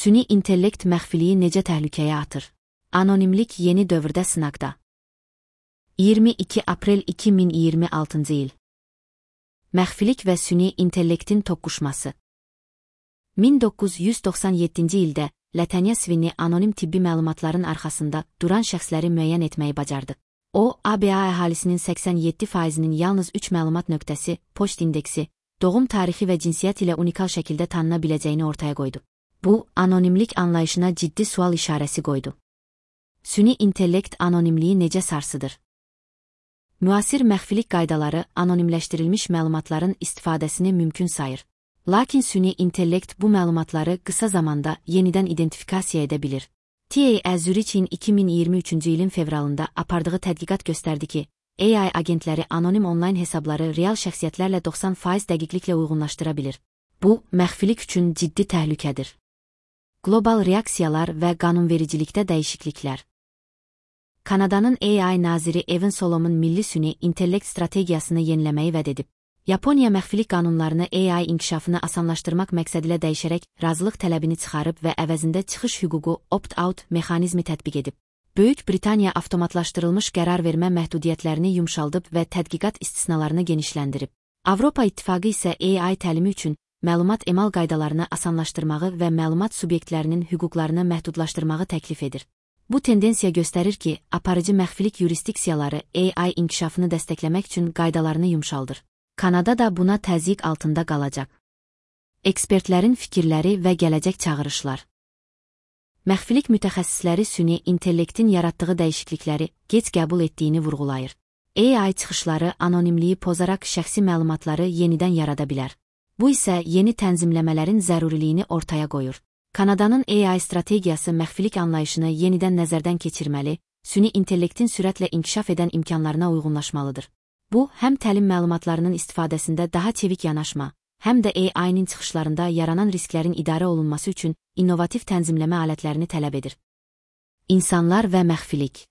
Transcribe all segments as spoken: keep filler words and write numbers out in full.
Süni intellekt məxfiliyi necə təhlükəyə atır? Anonimlik yeni dövrdə sınaqda. iyirmi iki aprel iki min iyirmi altıncı il. Məxfilik və süni intellektin toqquşması. min doqquz yüz doxsan yeddinci ildə Latanya Sweeney anonim tibbi məlumatların arxasında duran şəxsləri müəyyən etməyi bacardı. O, A B A əhalisinin səksən yeddi faizinin yalnız üç məlumat nöqtəsi, poçt indeksi, doğum tarixi və cinsiyyət ilə unikal şəkildə tanına biləcəyini ortaya qoydu. Bu, anonimlik anlayışına ciddi sual işarəsi qoydu. Süni intellekt anonimliyi necə sarsıdır? Müasir məxfilik qaydaları anonimləşdirilmiş məlumatların istifadəsini mümkün sayır. Lakin süni intellekt bu məlumatları qısa zamanda yenidən identifikasiya edə bilir. T A Zürich'in iki min iyirmi üçüncü ilin fevralında apardığı tədqiqat göstərdi ki, A I agentləri anonim onlayn hesabları real şəxsiyyətlərlə doxsan faiz dəqiqliklə uyğunlaşdıra bilir. Bu, məxfilik üçün ciddi təhlükədir. Qlobal reaksiyalar və qanunvericilikdə dəyişikliklər. Kanadanın A I naziri Evan Solomon milli süni intellekt strategiyasını yeniləməyi vəd edib. Yaponiya məxfilik qanunlarını A I inkişafını asanlaşdırmaq məqsədilə dəyişərək razılıq tələbini çıxarıb və əvəzində çıxış hüququ opt-out mexanizmi tətbiq edib. Böyük Britaniya avtomatlaşdırılmış qərar vermə məhdudiyyətlərini yumşaldıb və tədqiqat istisnalarını genişləndirib. Avropa İttifaqı isə A I təlimi üçün məlumat emal qaydalarını asanlaşdırmağı və məlumat subyektlərinin hüquqlarını məhdudlaşdırmağı təklif edir. Bu tendensiya göstərir ki, aparıcı məxfilik yurisdiksiyaları A I inkişafını dəstəkləmək üçün qaydalarını yumşaldır. Kanada da buna təzyiq altında qalacaq. Ekspertlərin fikirləri və gələcək çağırışlar. Məxfilik mütəxəssisləri süni intellektin yaratdığı dəyişiklikləri gec qəbul etdiyini vurğulayır. A I çıxışları anonimliyi pozaraq şəxsi məlumatları yenidən yarada bilər. Bu isə yeni tənzimləmələrin zəruriliyini ortaya qoyur. Kanadanın A I strategiyası məxfilik anlayışını yenidən nəzərdən keçirməli, süni intellektin sürətlə inkişaf edən imkanlarına uyğunlaşmalıdır. Bu, həm təlim məlumatlarının istifadəsində daha çevik yanaşma, həm də A I-nin çıxışlarında yaranan risklərin idarə olunması üçün innovativ tənzimləmə alətlərini tələb edir. İnsanlar və məxfilik.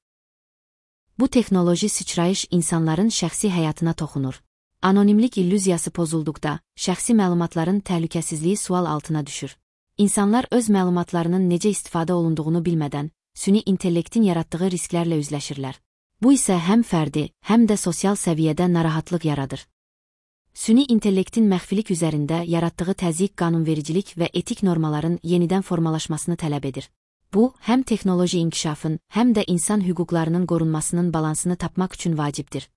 Bu texnoloji sıçrayış insanların şəxsi həyatına toxunur. Anonimlik illüziyası pozulduqda, şəxsi məlumatların təhlükəsizliyi sual altına düşür. İnsanlar öz məlumatlarının necə istifadə olunduğunu bilmədən, süni intellektin yaratdığı risklərlə üzləşirlər. Bu isə həm fərdi, həm də sosial səviyyədə narahatlıq yaradır. Süni intellektin məxfilik üzərində yaratdığı təzyiq qanunvericilik və etik normaların yenidən formalaşmasını tələb edir. Bu, həm texnoloji inkişafın, həm də insan hüquqlarının qorunmasının balansını tapmaq üçün vacibdir.